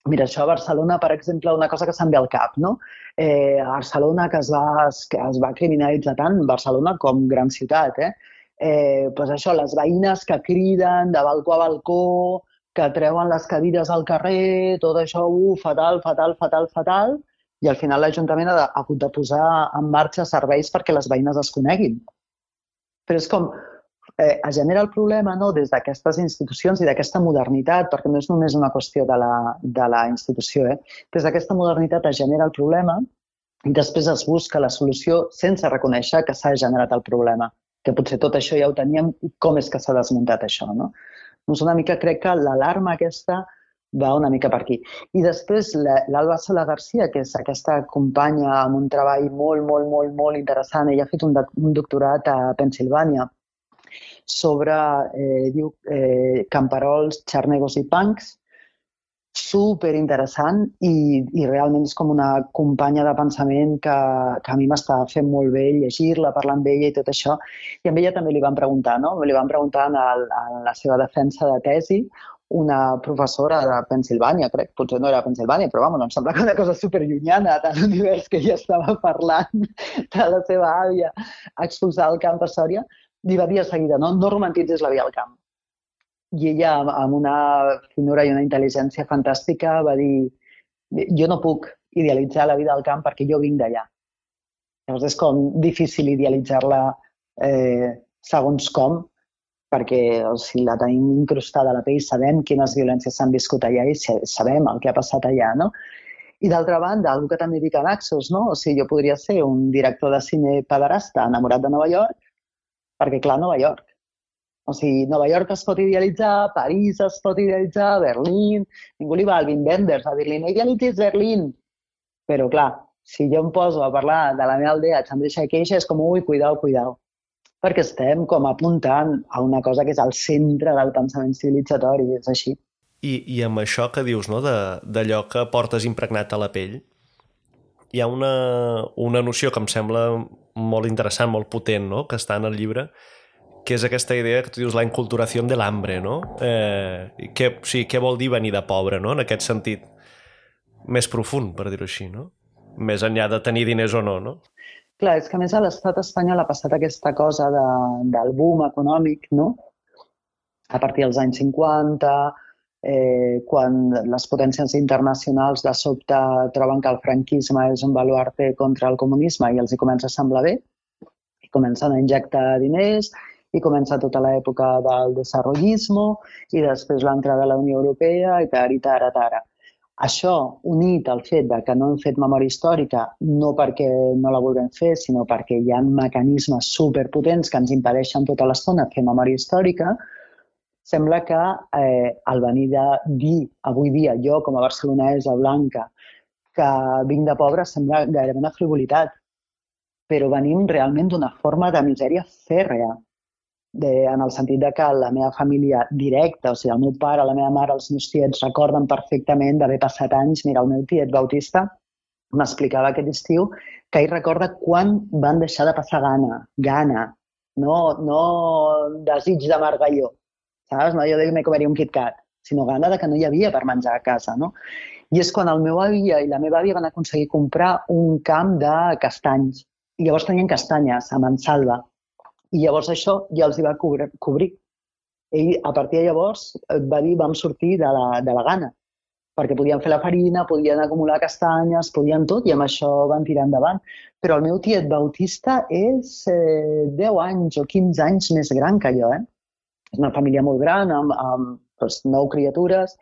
Mira, això a Barcelona, per exemple, una cosa que se'm ve al cap, no? Eh, a Barcelona, que es va, que es va criminalitzar tant, Barcelona com gran ciutat, eh? Eh, doncs això, les veïnes que criden de balcó a balcó, que treuen les cadires al carrer, tot això, uh, fatal, fatal, fatal, fatal, i al final l'Ajuntament ha, de, ha hagut de posar en marxa serveis perquè les veïnes es coneguin. Però és com, eh, es genera el problema, no?, des d'aquestes institucions i d'aquesta modernitat, perquè no és només una qüestió de la, de la institució, eh? Des d'aquesta modernitat es genera el problema i després es busca la solució sense reconèixer que s'ha generat el problema, que potser tot això ja ho teníem i com és que s'ha desmuntat això, no? Doncs una mica crec que l'alarma aquesta va una mica per aquí. I després l'Alba Sola Garcia, que és aquesta companya amb un treball molt, molt, molt, molt interessant, ella ha fet un, un doctorat a Pennsilvània sobre, eh, diu, eh, camperols, xarnegos i punks, superinteressant i, i realment és com una companya de pensament que, que a mi m'està fent molt bé llegir-la, parlar amb ella i tot això. I amb ella també li van preguntar, no? Li van preguntar en, el, en la seva defensa de tesi una professora de Pennsilvània, crec, potser no era Pennsilvània, però vamos, em sembla que una cosa superllunyana de l'univers que ella estava parlant de la seva àvia expulsada al camp a Sòria, li va dir a seguida, no, no romantitzis la vida al camp. I ella, amb una finura i una intel·ligència fantàstica, va dir, jo no puc idealitzar la vida al camp perquè jo vinc d'allà. Llavors és com difícil idealitzar-la eh, segons com, perquè o sigui, la tenim incrustada a la pell, sabem quines violències s'han viscut allà i sabem el que ha passat allà, no? I d'altra banda, algú que també dic a Naxos, no? O sigui, jo podria ser un director de cine pederasta enamorat de Nova York, perquè, clar, Nova York. O sigui, Nova York es pot idealitzar, París es pot idealitzar, Berlín... Ningú li va al Wim Wenders a dir-li, no idealitzis Berlín. Però, clar, si jo em poso a parlar de la meva aldea, Chandrisha i Queixa, és com, ui, cuidao, cuidao. Perquè estem com apuntant a una cosa que és al centre del pensament civilitzatori, és així.
I, i amb això que dius, no?, d'allò que portes impregnat a la pell, hi ha una, una noció que em sembla molt interessant, molt potent, no?, que està en el llibre, que és aquesta idea que tu dius la inculturació de l'hambre, no? Eh, que, o sigui, què vol dir venir de pobre, no?, en aquest sentit més profund, per dir-ho així, no? Més enllà de tenir diners o no, no?
Clar, és que a més a l'estat espanyol ha passat aquesta cosa de, del boom econòmic, no? A partir dels anys cinquanta, eh, quan les potències internacionals de sobte troben que el franquisme és un baluarte contra el comunisme i els hi comença a semblar bé, i comencen a injectar diners, i comença tota l'època del desarrollismo, i després l'entrada a la Unió Europea, i tara, i tara, tara. Això, unit al fet que no hem fet memòria històrica, no perquè no la vulguem fer, sinó perquè hi ha mecanismes superpotents que ens impedeixen tota l'estona fer memòria històrica, sembla que eh, el venir de dir, avui dia, jo com a barcelonesa blanca, que vinc de pobre, sembla gairebé una frivolitat, però venim realment d'una forma de misèria fèrrea, de, en el sentit de que la meva família directa, o sigui, el meu pare, la meva mare, els meus tiets recorden perfectament d'haver passat anys. Mira, el meu tiet Bautista m'explicava aquest estiu que ell recorda quan van deixar de passar gana, gana, no, no desig de margalló, saps? No jo de que me comeria un KitKat, sinó gana de que no hi havia per menjar a casa, no? I és quan el meu àvia i la meva àvia van aconseguir comprar un camp de castanys. I llavors tenien castanyes a Mansalva. I llavors això ja els hi va cobrir. Ell, a partir de llavors, va dir, vam sortir de la, de la gana, perquè podien fer la farina, podien acumular castanyes, podien tot, i amb això van tirar endavant. Però el meu tiet Bautista és eh, deu anys o quinze anys més gran que jo, eh? És una família molt gran, amb, amb doncs, nou criatures,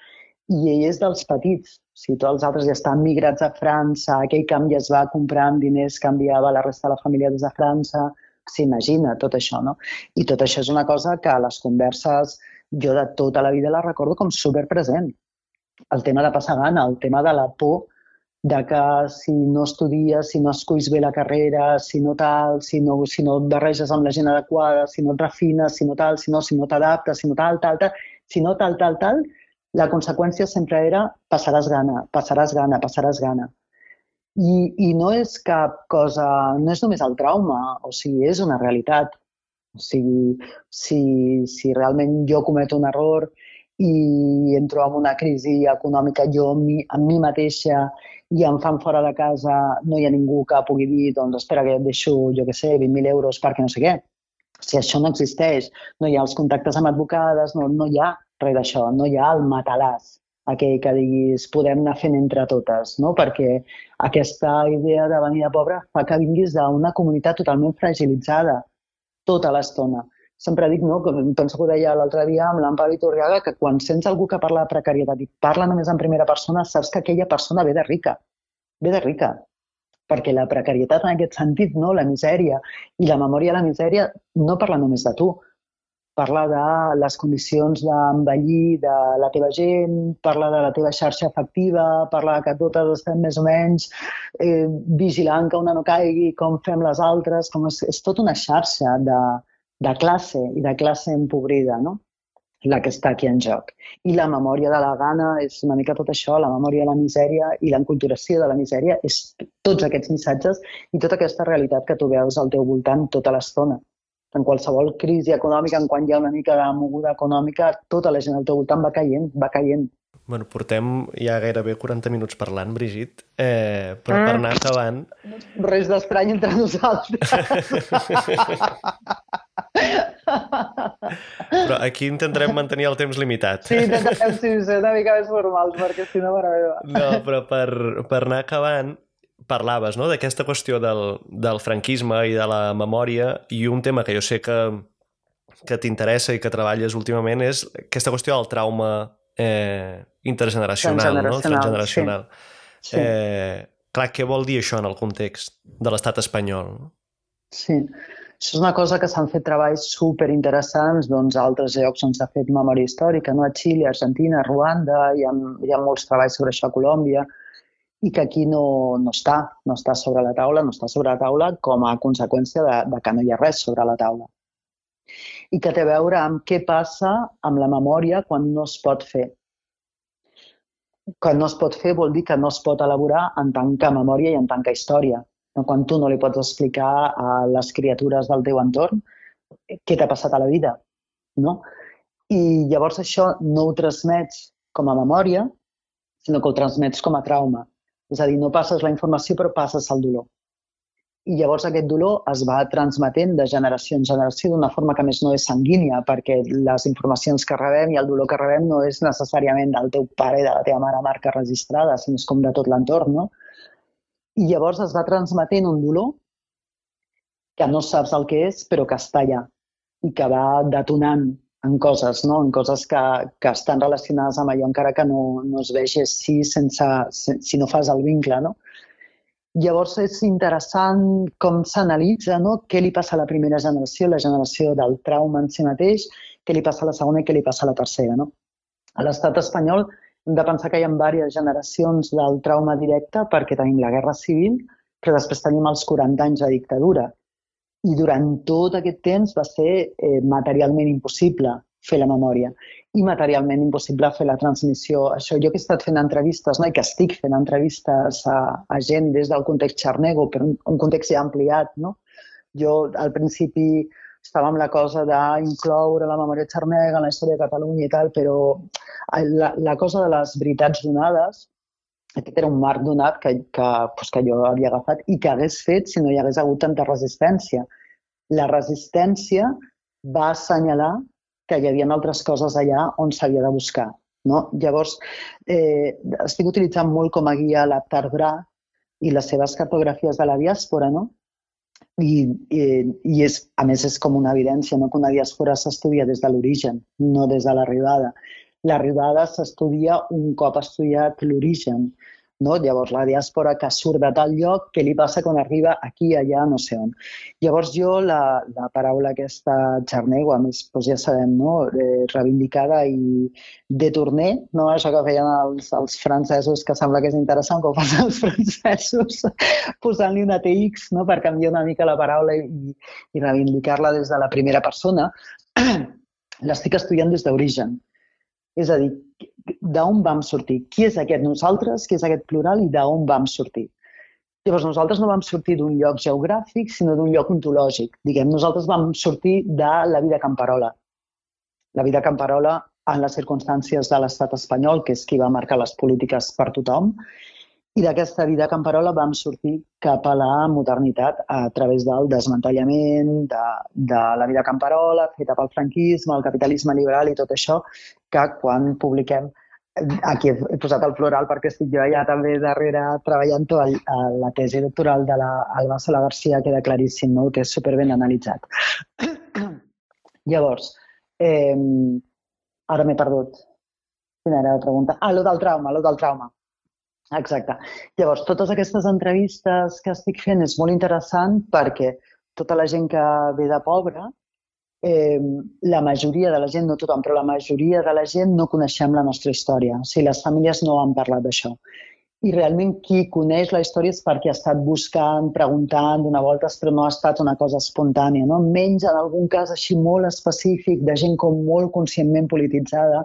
i ell és dels petits. O sigui, tots els altres ja estan migrats a França, aquell camp ja es va comprar amb diners que enviava la resta de la família des de França. S'imagina tot això, no? I tot això és una cosa que a les converses jo de tota la vida la recordo com superpresent. El tema de passar gana, el tema de la por de que si no estudies, si no esculls bé la carrera, si no tal, si no, si no et barreges amb la gent adequada, si no et refines, si no tal, si no, si no t'adaptes, si no tal, tal, tal, si no tal, tal, tal, la conseqüència sempre era passaràs gana, passaràs gana, passaràs gana. I, I no és cap cosa, no és només el trauma, o sigui, és una realitat. O sigui, si, si realment jo cometo un error i entro en una crisi econòmica jo amb mi, amb mi mateixa i em fan fora de casa, no hi ha ningú que pugui dir, doncs espera que et deixo, jo què sé, vint mil euros perquè no sé què. Si això no existeix, no hi ha els contactes amb advocades, no, no hi ha res d'això, no hi ha el matalàs, aquell que diguis podem anar fent entre totes, no? Perquè aquesta idea de venir de pobre fa que vinguis d'una comunitat totalment fragilitzada tota l'estona. Sempre dic, no, penso que ho deia l'altre dia amb l'Amparo Iturriaga, que quan sents algú que parla de precarietat i parla només en primera persona, saps que aquella persona ve de rica, ve de rica. Perquè la precarietat en aquest sentit, no, la misèria i la memòria de la misèria no parla només de tu. Parla de les condicions d'envellir de la teva gent, parla de la teva xarxa afectiva, parla que totes estem més o menys eh, vigilant que una no caigui, com fem les altres, com és, és tota una xarxa de, de classe i de classe empobrida, no? La que està aquí en joc. I la memòria de la gana és una mica tot això, la memòria de la misèria i l'enculturació de la misèria és tots aquests missatges i tota aquesta realitat que tu veus al teu voltant tota l'estona. En qualsevol crisi econòmica, en quan hi ha una mica de moguda econòmica, tota la gent al teu voltant va caient, va caient.
Bueno, portem ja gairebé quaranta minuts parlant, Brigitte, eh, però per anar acabant...
Res d'estrany entre nosaltres.
Però aquí intentarem mantenir el temps limitat.
Sí, intentarem sí, ser una mica més formals, perquè si no, mare meva.
No, però per, per anar acabant, parlaves, no?, d'aquesta qüestió del, del franquisme i de la memòria, i un tema que jo sé que, que t'interessa i que treballes últimament és aquesta qüestió del trauma eh, intergeneracional, no? Transgeneracional. Sí. Sí. Eh, clar, què vol dir això en el context de l'estat espanyol?
Sí, això és una cosa que s'han fet treballs superinteressants doncs, a altres llocs on s'ha fet memòria històrica, no? A Xile, Argentina, Ruanda, hi ha, hi ha molts treballs sobre això a Colòmbia, i que aquí no, no està, no està sobre la taula, no està sobre la taula com a conseqüència de, de que no hi ha res sobre la taula. I que té a veure amb què passa amb la memòria quan no es pot fer. Quan no es pot fer vol dir que no es pot elaborar en tant que memòria i en tant que història. Quan tu no li pots explicar a les criatures del teu entorn què t'ha passat a la vida, no? I llavors això no ho transmets com a memòria, sinó que ho transmets com a trauma. És a dir, no passes la informació, però passes el dolor. I llavors aquest dolor es va transmetent de generació en generació d'una forma que més no és sanguínia, perquè les informacions que rebem i el dolor que rebem no és necessàriament del teu pare i de la teva mare marca registrada, sinó és com de tot l'entorn, no? I llavors es va transmetent un dolor que no saps el que és, però que està allà i que va detonant en coses, no? En coses que, que estan relacionades amb allò, encara que no, no es vegi així sense, si no fas el vincle, no? Llavors és interessant com s'analitza, no? Què li passa a la primera generació, la generació del trauma en si mateix, què li passa a la segona i què li passa a la tercera, no? A l'estat espanyol hem de pensar que hi ha diverses generacions del trauma directe perquè tenim la guerra civil, però després tenim els quaranta anys de dictadura. I durant tot aquest temps va ser eh, materialment impossible fer la memòria i materialment impossible fer la transmissió. Això jo que he estat fent entrevistes, no? I que estic fent entrevistes a, a gent des del context xarnego, però un, un context ja ampliat, no? Jo al principi estava amb la cosa d'incloure la memòria xarnega en la història de Catalunya i tal, però la, la cosa de les veritats donades, aquest era un marc donat que, que, pues, que jo havia agafat i que hagués fet si no hi hagués hagut tanta resistència. La resistència va assenyalar que hi havia altres coses allà on s'havia de buscar, no? Llavors, eh, estic utilitzant molt com a guia l'Aptar Bra i les seves cartografies de la diàspora, no? I, i, i és, a més és com una evidència, no? Que una diàspora s'estudia des de l'origen, no des de l'arribada. L'arribada s'estudia un cop estudiat l'origen, no? Llavors la diàspora que surt de tal lloc, què li passa quan arriba aquí, allà, no sé on. Llavors jo la, la paraula aquesta xarnego, a més doncs ja sabem, no? Eh, reivindicada i détourné, no? Això que feien els, els francesos, que sembla que és interessant com fan els francesos, posant-li una T X, no? Per canviar una mica la paraula i, i reivindicar-la des de la primera persona, l'estic estudiant des d'origen. És a dir, d'on vam sortir? Qui és aquest nosaltres? Qui és aquest plural? I d'on vam sortir? Llavors, nosaltres no vam sortir d'un lloc geogràfic, sinó d'un lloc ontològic. Diguem, nosaltres vam sortir de la vida camperola. La vida camperola en les circumstàncies de l'estat espanyol, que és qui va marcar les polítiques per tothom, i d'aquesta vida camperola vam sortir cap a la modernitat a través del desmantellament de, de la vida camperola, feta pel franquisme, el capitalisme liberal i tot això, que quan publiquem, aquí he posat el plural perquè estic jo allà també darrere treballant tot, la tesi doctoral de l'Alba Sola Garcia queda claríssim, no? Que és superben analitzat. Llavors, eh, ara m'he perdut. Quina era la pregunta? Ah, lo del trauma, lo del trauma. Exacte. Llavors, totes aquestes entrevistes que estic fent és molt interessant perquè tota la gent que ve de pobra, eh, la majoria de la gent, no tothom, però la majoria de la gent no coneixem la nostra història. O sigui, les famílies no han parlat d'això. I realment qui coneix la història és perquè ha estat buscant, preguntant, donant voltes, però no ha estat una cosa espontània, no? Menys en algun cas així molt específic de gent com molt conscientment polititzada,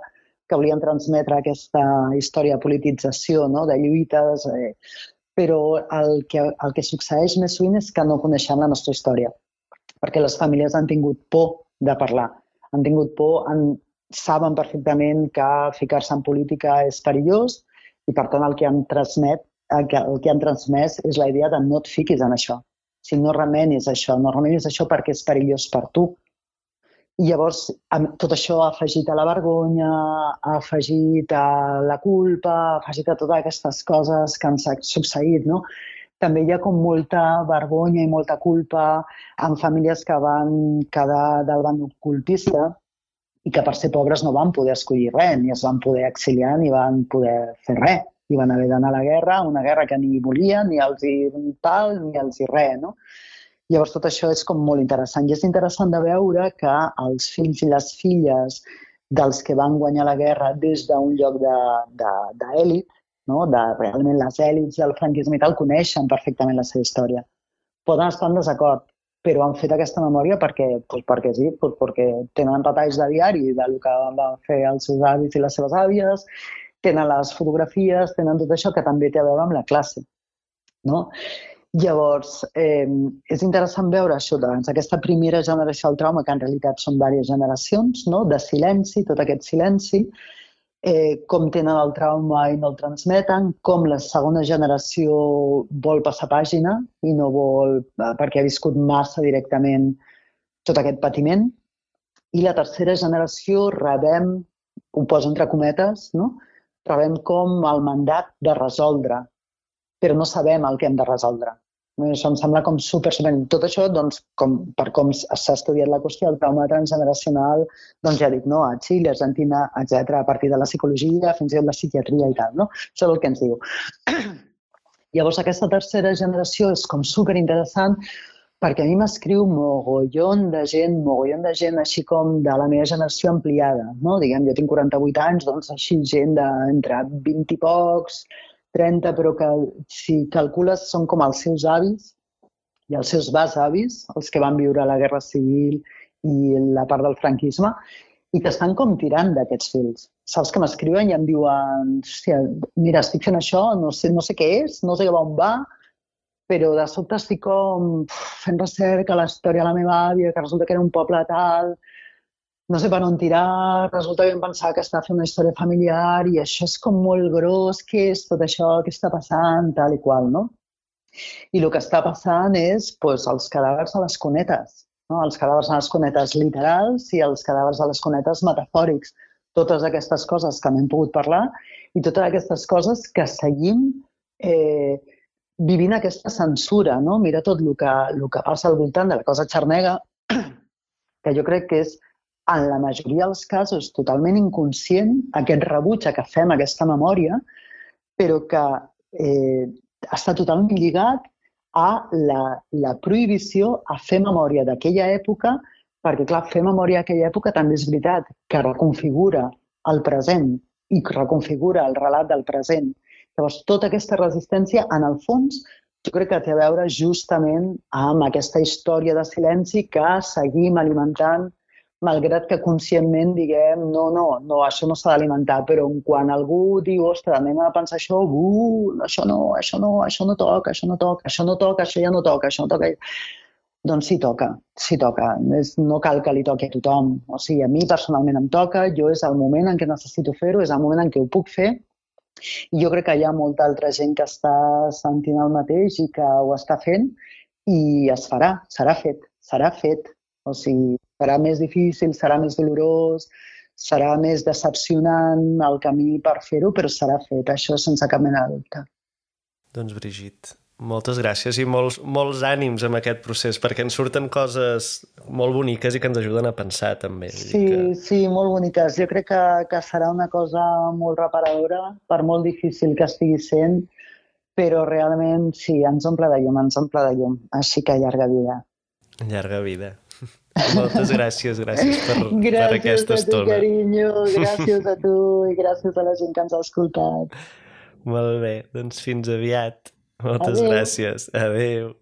que volien transmetre aquesta història de politització, no? De lluites, eh, però el que, el que succeeix més sovint és que no coneixem la nostra història, perquè les famílies han tingut por de parlar, han tingut por, han, saben perfectament que ficar-se en política és perillós i per tant el que han transmet, el que, el que han transmès és la idea de no et fiquis en això, si no remenis això, no remenis això perquè és perillós per tu. I llavors tot això ha afegit a la vergonya, ha afegit a la culpa, ha afegit a totes aquestes coses que han succeït, no? També hi ha com molta vergonya i molta culpa en famílies que van quedar del bàndol colpista i que per ser pobres no van poder escollir res, ni es van poder exiliar ni van poder fer res. I van haver d'anar a la guerra, una guerra que ni volien, ni els hi tal, ni els hi res, no? Llavors, tot això és com molt interessant. I és interessant de veure que els fills i les filles dels que van guanyar la guerra des d'un lloc d'èlit, no? De realment les èlits del franquisme i tal, coneixen perfectament la seva història. Poden estar en desacord, però han fet aquesta memòria perquè, doncs perquè sí, doncs perquè tenen retalls de diari del que van fer els seus avis i les seves àvies, tenen les fotografies, tenen tot això que també té a veure amb la classe, no? Llavors, eh, és interessant veure això, doncs, aquesta primera generació del trauma, que en realitat són diverses generacions, no? De silenci, tot aquest silenci, eh, com tenen el trauma i no el transmeten, com la segona generació vol passar pàgina i no vol, perquè ha viscut massa directament tot aquest patiment, i la tercera generació rebem, ho poso entre cometes, no? Rebem com el mandat de resoldre, però no sabem el que hem de resoldre. Això em sembla com super, super... Tot això, doncs, com, per com s'ha estudiat la qüestió del trauma transgeneracional, doncs ja dic, no? A Xile, Argentina, etcètera, a partir de la psicologia, fins i tot la psiquiatria i tal, no? Això és el que ens diu. Llavors, aquesta tercera generació és com super interessant perquè a mi m'escriu mogollon de gent, mogollon de gent així com de la meva generació ampliada, no? Diguem, jo tinc quaranta-vuit anys, doncs així gent d'entre vint i pocs, trenta, però que si calcules són com els seus avis i els seus besavis, els que van viure la Guerra Civil i la part del franquisme, i que estan com tirant d'aquests fils. Saps que m'escriuen i em diuen, hòstia, mira, estic fent això, no sé, no sé què és, no sé cap on va, però de sobte estic com fent recerca a la història de la meva àvia, que resulta que era un poble tal, no sé per on tirar, resulta que em pensava que estava fent una història familiar i això és com molt gros, què és tot això, què està passant, tal i qual, no? I el que està passant és doncs, els cadàvers a les cunetes, no? Els cadàvers a les cunetes literals i els cadàvers a les cunetes metafòrics. Totes aquestes coses que no hem pogut parlar i totes aquestes coses que seguim eh, vivint aquesta censura, no? Mira tot el que, el que passa al voltant de la cosa xarnega, que jo crec que és, en la majoria dels casos, totalment inconscient, aquest rebuig a que fem aquesta memòria, però que eh, està totalment lligat a la, la prohibició a fer memòria d'aquella època, perquè, clar, fer memòria d'aquella època també és veritat, que reconfigura el present i reconfigura el relat del present. Llavors, tota aquesta resistència, en el fons, jo crec que té a veure justament amb aquesta història de silenci que seguim alimentant, malgrat que conscientment diguem, no, no, no, això no s'ha d'alimentar, però quan algú diu, ostres, anem a pensar això, uh, això no, això no, això no toca, això no toca, això no toca, això ja no toca, això no toca. doncs sí toca, sí toca. És, no cal que li toqui a tothom. O sigui, a mi personalment em toca, jo és el moment en què necessito fer-ho, és el moment en què ho puc fer, i jo crec que hi ha molta altra gent que està sentint el mateix i que ho està fent, i es farà, serà fet, serà fet. O sigui, serà més difícil, serà més dolorós, serà més decepcionant el camí per fer-ho, però serà fet, això sense cap mena de dubte.
Doncs Brigitte, moltes gràcies i molts, molts ànims amb aquest procés, perquè ens surten coses molt boniques i que ens ajuden a pensar també.
Sí,
que...
sí, molt boniques. Jo crec que, que serà una cosa molt reparadora, per molt difícil que estigui sent, però realment sí, ens omple de llum, ens omple de llum. Així que llarga vida.
Llarga vida. Moltes gràcies, gràcies per,
gràcies
per aquesta
a tu,
estona.
carinyo, gràcies a tu i gràcies a la gent que ens ha escoltat.
Molt bé, doncs fins aviat. Moltes
Adéu.
gràcies. Adéu.